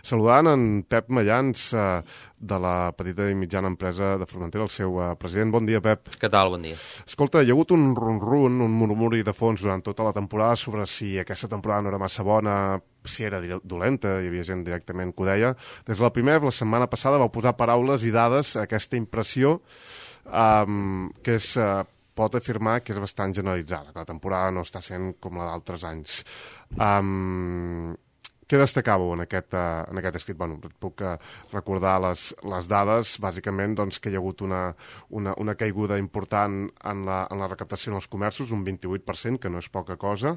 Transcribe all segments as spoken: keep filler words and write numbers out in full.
Saludant en Pep Mallans, eh, de la petita i mitjana empresa de Formentera, el seu eh, president. Bon dia, Pep. Què tal? Bon dia. Escolta, hi ha hagut un run-run, un murmuri de fons durant tota la temporada sobre si aquesta temporada no era massa bona, si era dolenta, hi havia gent directament que ho deia. Des de la primera, la setmana passada, vau posar paraules i dades a aquesta impressió um, que és... Uh, pot afirmar que és bastant generalitzada, que la temporada no està sent com la d'altres anys. Um, què destacàveu en aquest, uh, en aquest escrit? Bueno, et puc uh, recordar les, les dades, bàsicament doncs, que hi ha hagut una, una, una caiguda important en la, en la recaptació en els comerços, un vint-i-vuit per cent, que no és poca cosa,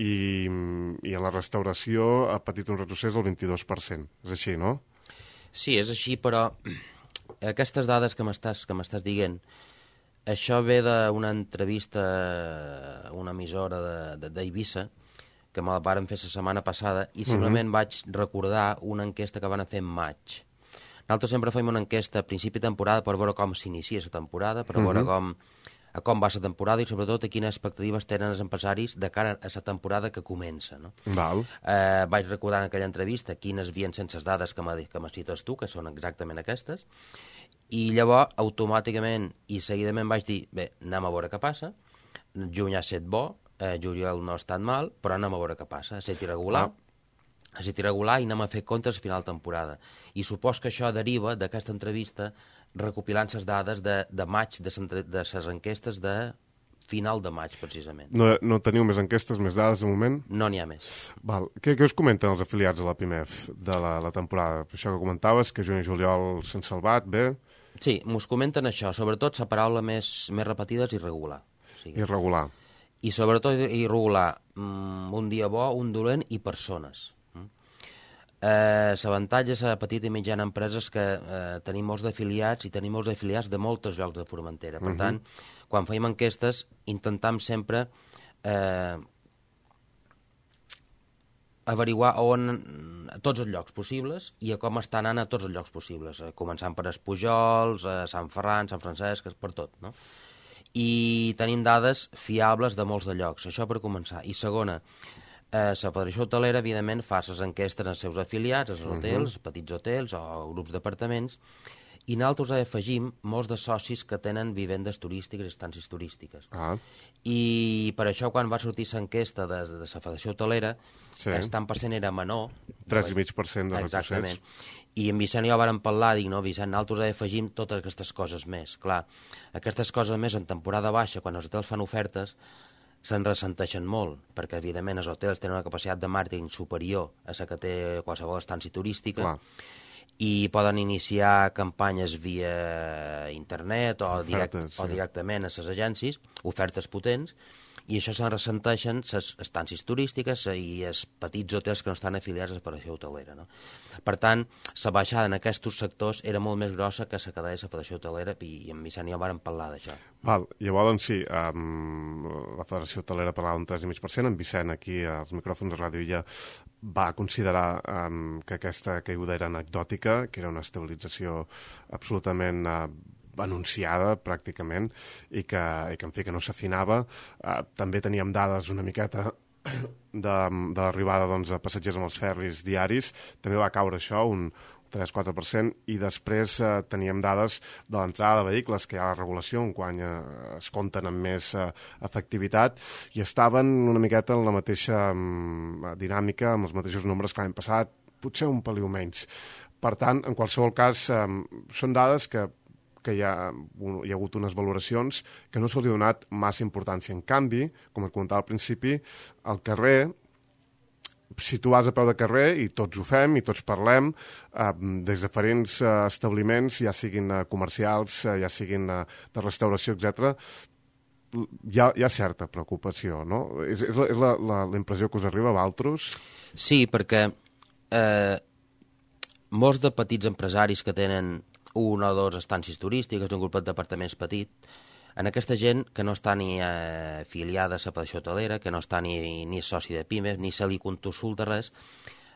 i, i en la restauració ha patit un retrocés del vint-i-dos per cent. És així, no? Sí, és així, però aquestes dades que m'estàs que m'estàs dient, això ve d'una entrevista a una emissora d'Eivissa, que me la varen fer la setmana passada, i simplement uh-huh. vaig recordar una enquesta que van fer en maig. Nosaltres sempre fem una enquesta a principi de temporada per veure com s'inicia la temporada, per veure uh-huh. com, a com va la temporada i sobretot a quines expectatives tenen els empresaris de cara a la temporada que comença. No? Val. Eh, vaig recordar en aquella entrevista quines havien sense les dades que me cites tu, que són exactament aquestes, i llavors, automàticament i seguidament vaig dir, bé, anem a veure què passa, juny ha estat bo, eh, juliol no ha estat mal, però anem a veure què passa, ha estat irregular, ah. ha estat irregular i anem a fer comptes a final de temporada. I supos que això deriva d'aquesta entrevista recopilant les dades de, de maig, de les enquestes de final de maig, precisament. No, no teniu més enquestes, més dades de moment? No n'hi ha més. Val. Què, què us comenten els afiliats de la P I M E F de la, la temporada? Això que comentaves, que juny i juliol s'han salvat, bé? Sí, mos comenten això, sobretot la paraula més, més repetida és irregular. O sigui, irregular. I sobretot irregular, mm, un dia bo, un dolent i persones. Mm. Eh, L'avantatge de la petita i mitjana empresa és que eh, tenim molts d'afiliats i tenim molts d'afiliats de molts llocs de Formentera. Per uh-huh. tant, quan fèiem enquestes, intentam sempre eh, averiguar on, a tots els llocs possibles i a com estan anant a tots els llocs possibles, eh, començant per Espujols, eh, Sant Ferran, Sant Francesc, per tot, no? I tenim dades fiables de molts de llocs, això per començar. I segona, eh, la Federació Hotelera, evidentment, fa les enquestes als seus afiliats, als hotels, uh-huh. petits hotels o grups d'apartaments, i nosaltres afegim molts de socis que tenen vivendes turístiques i estàncies turístiques. Ah. I per això, quan va sortir l'enquesta de, de la Federació Hotelera, sí. el tant per cent era menor. tres coma cinc per cent de retrocés. Exactament. I en Vicent i jo vàrem parlar, dic, no, Vicent, nosaltres afegim totes aquestes coses més. Clar, aquestes coses més en temporada baixa, quan els hotels fan ofertes, se'n ressenteixen molt, perquè, evidentment, els hotels tenen una capacitat de màrqueting superior a la que té qualsevol estància turística. Clar. I poden iniciar campanyes via internet o, direct, ofertes, sí. o directament a les agències, ofertes potents, i això se'n ressenteixen les estàncies turístiques i els petits hotels que no estan afiliats a la Federació Hotelera. No? Per tant, la baixada en aquests sectors era molt més grossa que la que deia la Federació Hotelera, i en Vicent i jo vàrem parlar d'això. Val, llavors, doncs sí, um, la Federació Hotelera parlava d'un tres coma cinc per cent, en Vicent aquí als micròfons de ràdio ja va considerar um, que aquesta caiguda era anecdòtica, que era una estabilització absolutament uh, anunciada pràcticament i que, i que en fi, que no s'afinava. Uh, també teníem dades una miqueta de, de l'arribada doncs, de passatgers amb els ferris diaris, també va caure això, un tres coma quatre per cent, i després eh, teníem dades de l'entrada de vehicles, que hi ha la regulació, en quan eh, es compten amb més eh, efectivitat, i estaven una miqueta en la mateixa um, dinàmica, amb els mateixos nombres que l'any passat, potser un peliu menys. Per tant, en qualsevol cas, eh, són dades que que hi ha, hi ha hagut unes valoracions que no se'ls ha donat massa importància. En canvi, com et comentava al principi, al carrer, si tu vas a peu de carrer, i tots ho fem, i tots parlem, eh, des de diferents eh, establiments, ja siguin eh, comercials, eh, ja siguin eh, de restauració, etcètera, hi ha, hi ha certa preocupació, no? És, és, la, és la, la, la impressió que us arriba a vosaltres? Sí, perquè eh, molts de petits empresaris que tenen una o dues estàncies turístiques d'un grup d'apartaments petit, en aquesta gent que no està ni eh, afiliada a la Federació Hotelera, que no està ni, ni soci de pimes, ni se li consulta res,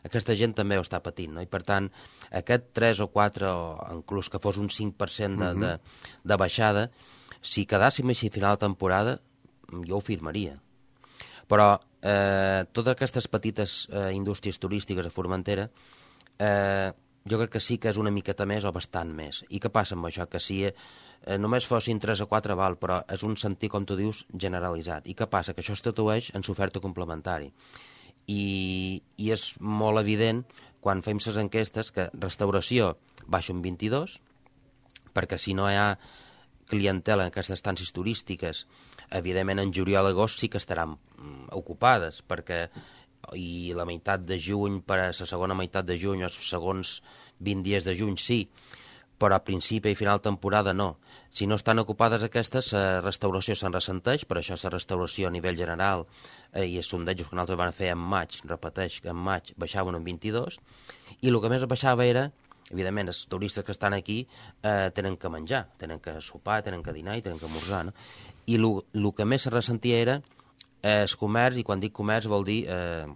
aquesta gent també ho està patint, no? I per tant, aquest tres o quatre, o inclús que fos un cinc per cent de, uh-huh. de, de baixada, si quedàssim així a final de temporada, jo ho firmaria. Però eh, totes aquestes petites eh, indústries turístiques a Formentera eh, jo crec que sí que és una miqueta més o bastant més. I què passa amb això? Que si eh, només fossin tres o quatre val, però és un sentir, com tu dius, generalitzat. I què passa? Que això es tradueix en l'oferta complementari. I, I és molt evident, quan fem les enquestes, que restauració baixa un vint-i-dos, perquè si no hi ha clientela en aquestes estàncies turístiques, evidentment en juliol i agost sí que estaran mm, ocupades, perquè i la meitat de juny per a la segona meitat de juny o els segons vint dies de juny sí, però a principi i final temporada no. Si no estan ocupades aquestes, la restauració se'n ressenteix, per això la restauració a nivell general eh, i els sondejos que nosaltres vam fer en maig, repeteix que en maig baixaven un vint-i-dos, i el que més baixava era, evidentment, els turistes que estan aquí eh, tenen que menjar, tenen que sopar, tenen que dinar i tenen que esmorzar, no? I el que més se ressentia era eh, el comerç, i quan dic comerç vol dir eh,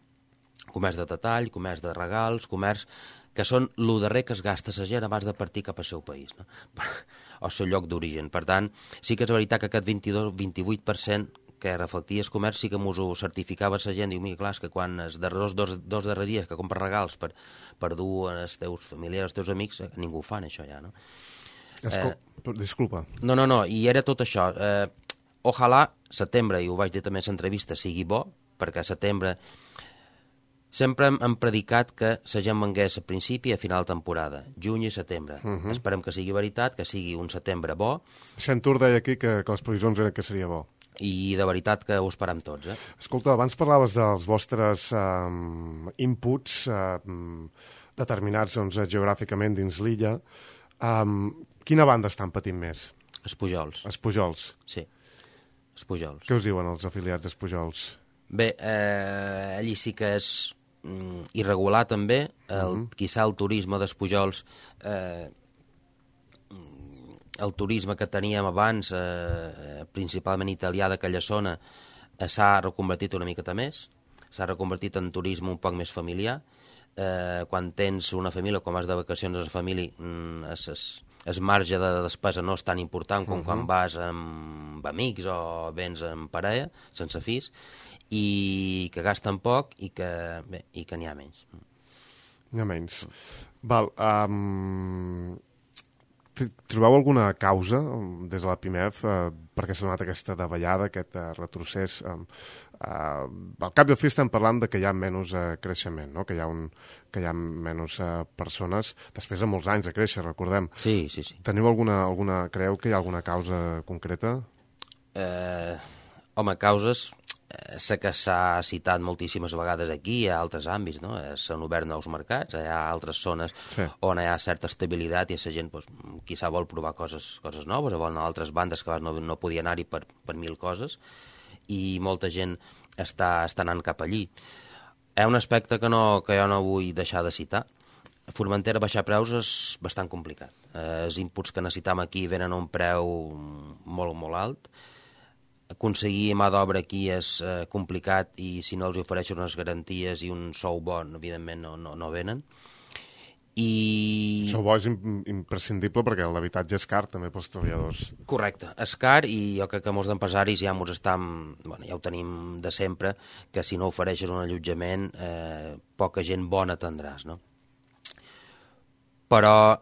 comerç de detall, comerç de regals, comerç que són el darrer que es gasta la gent abans de partir cap al seu país, no? O el seu lloc d'origen. Per tant, sí que és veritat que aquest vint-i-dos vint-i-vuit per cent que reflectia el comerç sí que m'ho certificava la gent. Diu, mira, clar, és que quan els darrers dos, dos darrers dies que compres regals per, per dur als teus familiars, als teus amics, ningú ho fan, això ja, no? Escol... Eh, Disculpa. No, no, no, i era tot això. Eh, ojalà setembre, i ho vaig dir també a l'entrevista, sigui bo, perquè a setembre sempre hem, hem predicat que la gent vengués a principi i a final de temporada, juny i setembre. Uh -huh. Esperem que sigui veritat, que sigui un setembre bo. Centur deia aquí que, que les previsions eren que seria bo. I de veritat que ho esperem tots, eh? Escolta, abans parlaves dels vostres um, inputs uh, determinats doncs, geogràficament dins l'illa. Um, quina banda estan patint més? Els Pujols. Els Pujols. Sí, els Pujols. Què us diuen els afiliats dels Pujols? Bé, eh, allí sí que és mm, irregular també, el, uh -huh. quizà el turisme dels Pujols, eh, el turisme que teníem abans, eh, principalment italià d'aquella zona, eh, s'ha reconvertit una miqueta més, s'ha reconvertit en turisme un poc més familiar. Eh, quan tens una família, quan vas de vacacions a la família, mm, es, es, el marge de despesa no és tan important com uh -huh. quan vas amb amics o vens amb parella, sense fills, i que gasten poc i que, bé, i que n'hi ha menys. N'hi ha menys. Val, um, trobeu alguna causa des de la P I M E F uh, perquè s'ha donat aquesta davallada, aquest uh, retrocés? Um, uh, al cap i al fi estem parlant de que hi ha menys uh, creixement, no? que, hi ha un, que hi ha menys uh, persones, després de molts anys de créixer, recordem. Sí, sí, sí. Teniu alguna, alguna, creu que hi ha alguna causa concreta? Eh, home, causes... Sé que s'ha citat moltíssimes vegades aquí, hi ha altres àmbits, no? S'han obert nous mercats, hi ha altres zones sí. on hi ha certa estabilitat i la gent, doncs, quizà vol provar coses, coses noves, o vol anar a altres bandes que no, no podia anar-hi per, per mil coses, i molta gent està, està anant cap allí. Hi ha un aspecte que, no, que jo no vull deixar de citar. A Formentera baixar preus és bastant complicat. Eh, els inputs que necessitam aquí venen a un preu molt, molt alt. Aconseguir mà d'obra aquí és eh, complicat i si no els ofereixen unes garanties i un sou bon, evidentment no, no, no venen. I... Sou bo és imprescindible perquè l'habitatge és car també pels treballadors. Correcte, és car i jo crec que molts d'empresaris ja, estan, bueno, ja ho tenim de sempre, que si no ofereixes un allotjament eh, poca gent bona tindràs, no? Però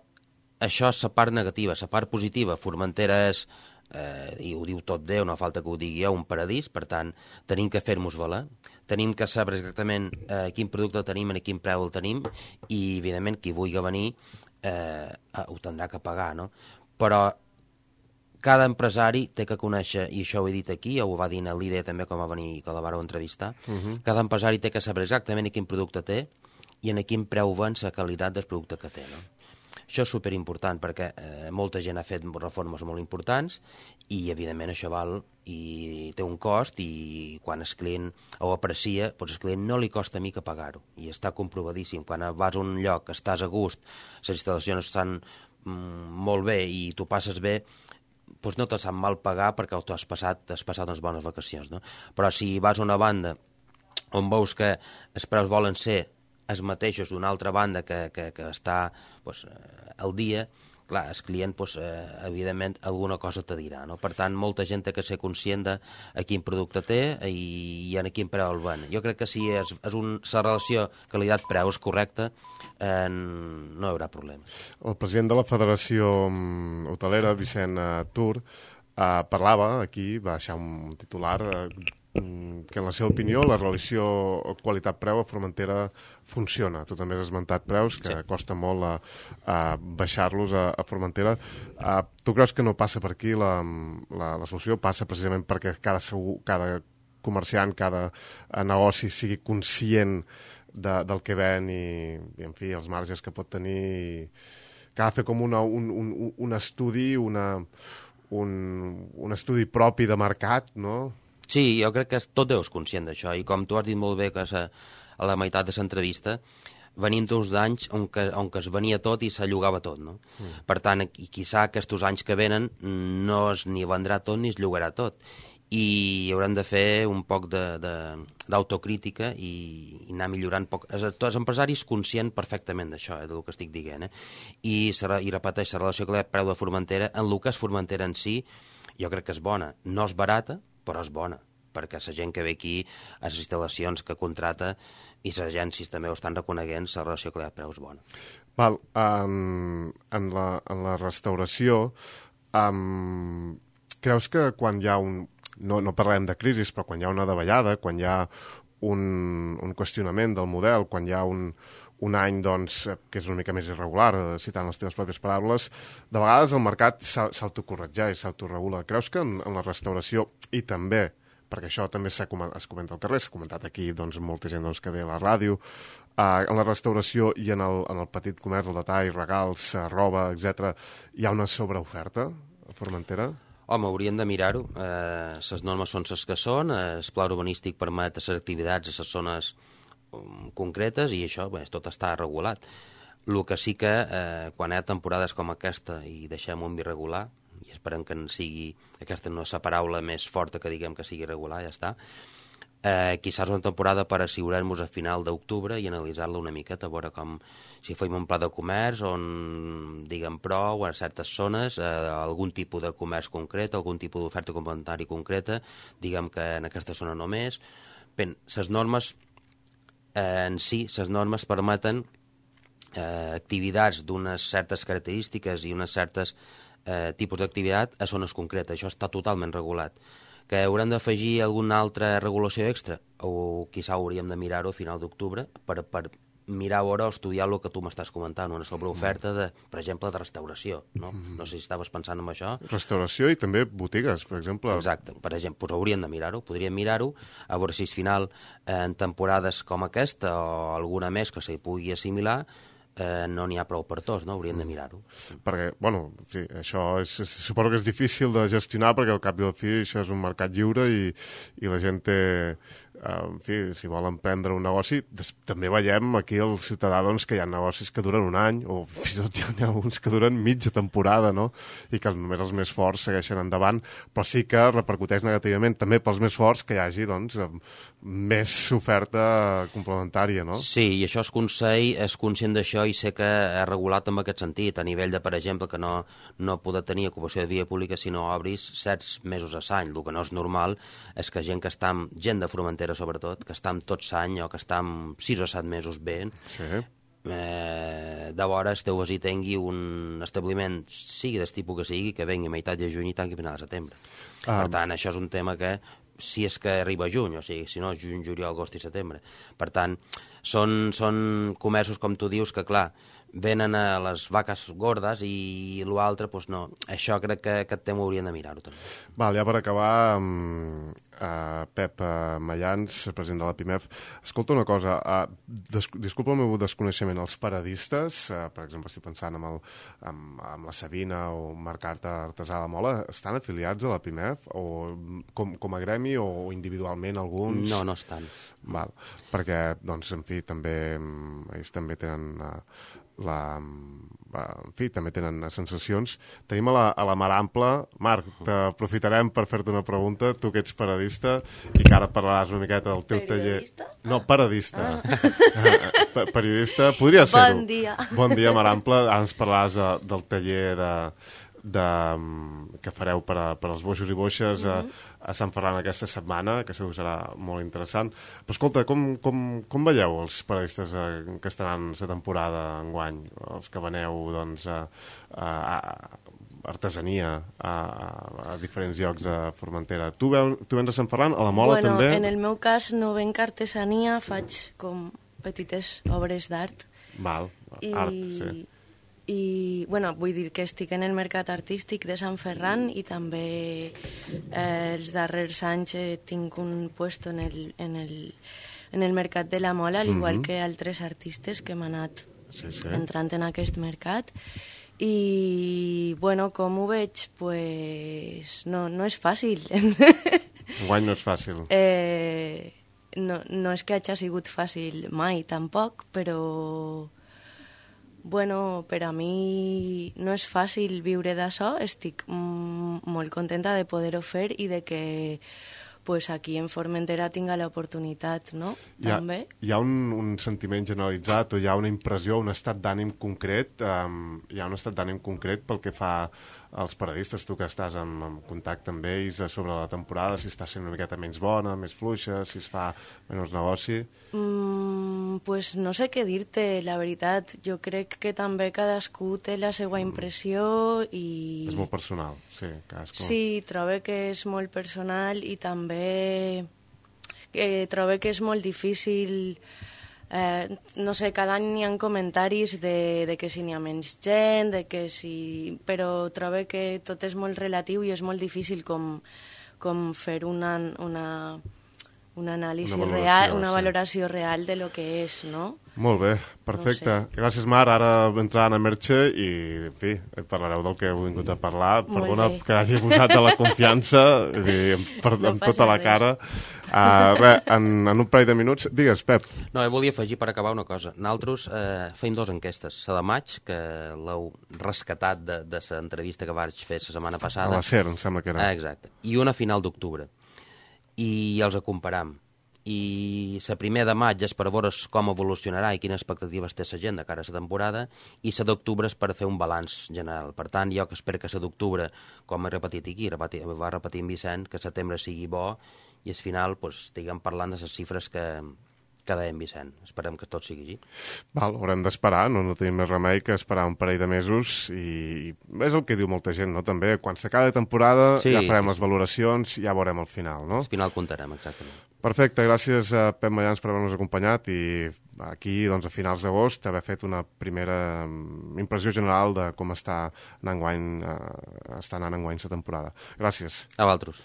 això és la part negativa. La part positiva, Formentera és... Eh, i ho diu tot Déu, no falta que ho digui jo, un paradís, per tant, tenim que fer-nos valer, tenim que saber exactament eh, quin producte tenim, a quin preu el tenim, i, evidentment, qui vulgui venir eh, ho tindrà que pagar, no? Però cada empresari té que conèixer, i això ho he dit aquí, ho va dir en l'I D E també quan va venir, que la vareu entrevistar, uh -huh. cada empresari té que saber exactament quin producte té i en quin preu ven la qualitat del producte que té, no? Això és superimportant perquè eh, molta gent ha fet reformes molt importants i, evidentment, això val i té un cost i quan el client ho aprecia, doncs el client no li costa mica pagar-ho i està comprovadíssim. Quan vas a un lloc, estàs a gust, les instal·lacions estan mm, molt bé i tu passes bé, doncs no te sap mal pagar perquè tu has passat, has passat unes bones vacacions, no? Però si vas a una banda on veus que els preus volen ser els mateixos d'una altra banda que, que, que està doncs, al dia, clar, el client, doncs, eh, evidentment, alguna cosa te dirà, no? Per tant, molta gent té que ser conscient de a quin producte té i, i a quin preu el ven. Jo crec que si és, és un, la relació qualitat-preu és correcta, eh, no hi haurà problema. El president de la Federació Hotelera, Vicent Tur, eh, parlava aquí, va deixar un titular, eh, que en la seva opinió la relació qualitat-preu a Formentera funciona. Tu també has esmentat preus, que sí. Costa molt a, a baixar-los a, a Formentera. Uh, tu creus que no passa per aquí la, la, la solució? Passa precisament perquè cada, segur, cada comerciant, cada negoci sigui conscient de, del que ven i, i, en fi, els marges que pot tenir, i que ha de fer com una, un, un, un estudi, una, un, un estudi propi de mercat, no? Sí, jo crec que tot Déu és conscient d'això, i com tu has dit molt bé que a, a la meitat de l'entrevista, venim d'uns anys on, que, on que es venia tot i s'allugava tot, no? Mm. Per tant, quizà aquests anys que venen no es ni vendrà tot ni es llogarà tot, i haurem de fer un poc d'autocrítica i, i anar millorant poc. Els, els empresaris conscient perfectament d'això, eh, del que estic dient, eh? I, i repeteix, la relació que preu de Formentera, en el que és Formentera en si, jo crec que és bona. No és barata, però és bona, perquè la gent que ve aquí, a les instal·lacions que contrata i les agències també ho estan reconeguent, la relació que li ha preu és bona. Val, en, en, la, en la restauració, um, creus que quan hi ha un... No, no parlem de crisi, però quan hi ha una davallada, quan hi ha un, un qüestionament del model, quan hi ha un, un any doncs, que és una mica més irregular, citant les teves pròpies paraules, de vegades el mercat s'autocorregeix, s'autoregula. Creus que en, en la restauració, i també, perquè això també es comenta al carrer, s'ha comentat aquí doncs, molta gent doncs, que ve a la ràdio, eh, en la restauració i en el, en el petit comerç, el detall, regals, roba, etcètera, hi ha una sobreoferta a Formentera? Home, hauríem de mirar-ho. Eh, les normes són les que són, el pla urbanístic permet les activitats a les zones concretes i això bé, tot està regulat. El que sí que eh, quan hi ha temporades com aquesta i deixem un irregular, i esperem que en sigui, aquesta no és la paraula més forta que diguem que sigui irregular, ja està, eh, quizás una temporada per assegurar-nos a final d'octubre i analitzar-la una miqueta, a veure com si fem un pla de comerç on diguem prou a certes zones, eh, algun tipus de comerç concret, algun tipus d'oferta complementària concreta, diguem que en aquesta zona només. Bé, les normes eh, en si, les normes permeten eh, activitats d'unes certes característiques i unes certes eh, tipus d'activitat a zones concretes. Això està totalment regulat. Que haurem d'afegir alguna altra regulació extra, o quizà hauríem de mirar-ho a final d'octubre per, per mirar a veure o estudiar el que tu m'estàs comentant, una sobreoferta, de, per exemple, de restauració. No, no sé si estaves pensant en això. Restauració i també botigues, per exemple. Exacte, per exemple, doncs hauríem de mirar-ho, podríem mirar-ho, a veure si al final, eh, en temporades com aquesta o alguna més que s'hi pugui assimilar, Eh, no n'hi ha prou per tots, no? Hauríem de mirar-ho. Perquè, bueno, en fi, això és, és, suposo que és difícil de gestionar perquè al cap i al fi això és un mercat lliure i, i la gent té, eh, en fi, si volen prendre un negoci, des, també veiem aquí el ciutadà doncs, que hi ha negocis que duren un any o fins i tot hi ha alguns que duren mitja temporada, no? I que només els més forts segueixen endavant, però sí que repercuteix negativament també pels més forts que hi hagi, doncs, més oferta complementària, no? Sí, i això el Consell és conscient d'això i sé que ha regulat en aquest sentit, a nivell de, per exemple, que no, no poder tenir ocupació de via pública si no obris certs mesos a l'any. El que no és normal és que gent que està amb, gent de Formentera sobretot, que està amb tot l'any o que està amb sis o set mesos bé, sí. eh, de vora esteu i tingui un establiment, sigui del tipus que sigui, que vengui a meitat de juny i tanqui a final de setembre. Ah. Per tant, això és un tema que si és que arriba a juny, o sigui, si no, juny, juliol, agost i setembre. Per tant, són, són comerços, com tu dius, que, clar, venen a les vaques gordes i l'altre, doncs no. Això crec que aquest tema hauríem de mirar-ho també. Val, ja per acabar, um, uh, Pep uh, Mayans, president de la PIMEF, escolta una cosa, uh, des, disculpa el meu desconeixement, els paradistes, uh, per exemple, estic pensant en, el, en, en la Sabina o Mercat Artesà de la Mola, estan afiliats a la PIMEF o com, com a gremi o individualment alguns? No, no estan. Val, perquè, doncs, en fi, també ells també tenen uh, la, en fi, també tenen sensacions. Tenim a la, a la Mar Ampla. Marc, t'aprofitarem per fer-te una pregunta, tu que ets paradista i que ara parlaràs una miqueta del teu Periodista? taller. No, paradista. Ah. Periodista, podria ser-ho. Bon dia. Bon dia, Mar Ampla. Ara ens parlaràs de, del taller de, de, que fareu per, a, per als boixos i boixes mm -hmm. a, a Sant Ferran aquesta setmana, que segur que serà molt interessant. Però escolta, com, com, com veieu els paradistes eh, que estaran la temporada enguany? Els que veneu, doncs, a, a, a artesania a, a, a diferents llocs de Formentera. Tu, veu, tu vens a Sant Ferran, a la Mola bueno, també? En el meu cas no venc artesania, faig com petites obres d'art. Val, I, art, sí. I, bueno, vull dir que estic en el mercat artístic de Sant Ferran i també eh, els darrers anys eh, tinc un puesto en el, en el, en el mercat de la Mola, al igual mm -hmm. que altres artistes que hem anat sí, sí. entrant en aquest mercat. I, bueno, com ho veig? Pues no, no és fàcil. Enguany no és fàcil. Eh, no, no és que hagi sigut fàcil mai, tampoc, però... Bueno, per a mi no és fàcil viure d'això, estic mm, molt contenta de poder-ho fer i de que pues, aquí en Formentera tinga l'oportunitat, no? Hi ha, També. hi ha un, un sentiment generalitzat o hi ha una impressió, un estat d'ànim concret, um, hi ha un estat d'ànim concret pel que fa als paradistes, tu que estàs en, en contacte amb ells sobre la temporada, si està sent una miqueta menys bona, més fluixa, si es fa menys negoci... Mm, pues no sé què dir-te, la veritat. Jo crec que també cadascú té la seva impressió i... És molt personal, sí, cadascú. Sí, trobo que és molt personal i també eh, trobo que és molt difícil... Eh, no sé, cada any hi ha comentaris de, de que si n'hi ha menys gent, de que si... però trobo que tot és molt relatiu i és molt difícil com, com fer una... una una anàlisi una real, una sí. valoració real de lo que és, no? Molt bé, perfecte. No sé. Gràcies, Mar. Ara entrant a Merche i, en fi, parlareu del que heu vingut a parlar. Molt Perdona bé. que hagi posat de la confiança dir, per, no amb tota la res. cara. Uh, res, en, en un parell de minuts... Digues, Pep. No, jo volia afegir per acabar una cosa. Nosaltres eh, feim dues enquestes. La de maig, que l'heu rescatat de, de l'entrevista que vaig fer la setmana passada. A la SER, em sembla que era. Ah, exacte. I una a final d'octubre. I els comparam. I la primera de maig és per veure com evolucionarà i quines expectatives té la gent de cara a la temporada, i la d'octubre és per fer un balanç general. Per tant, jo que espero que la d'octubre, com he repetit aquí, repeti, va repetir en Vicent, que setembre sigui bo i al final pues, estiguem parlant de les xifres que, que deia en Vicent. Esperem que tot sigui així. Val, haurem d'esperar, no, no tenim més remei que esperar un parell de mesos i és el que diu molta gent, no? També, quan s'acaba la temporada sí, ja farem sí, les valoracions i ja veurem el final, no? Al final comptarem, exactament. Perfecte, gràcies a Pep Mayans per haver-nos acompanyat i aquí, doncs, a finals d'agost, haver fet una primera impressió general de com està anant enguany, eh, està anant enguany la temporada. Gràcies. A vosaltres.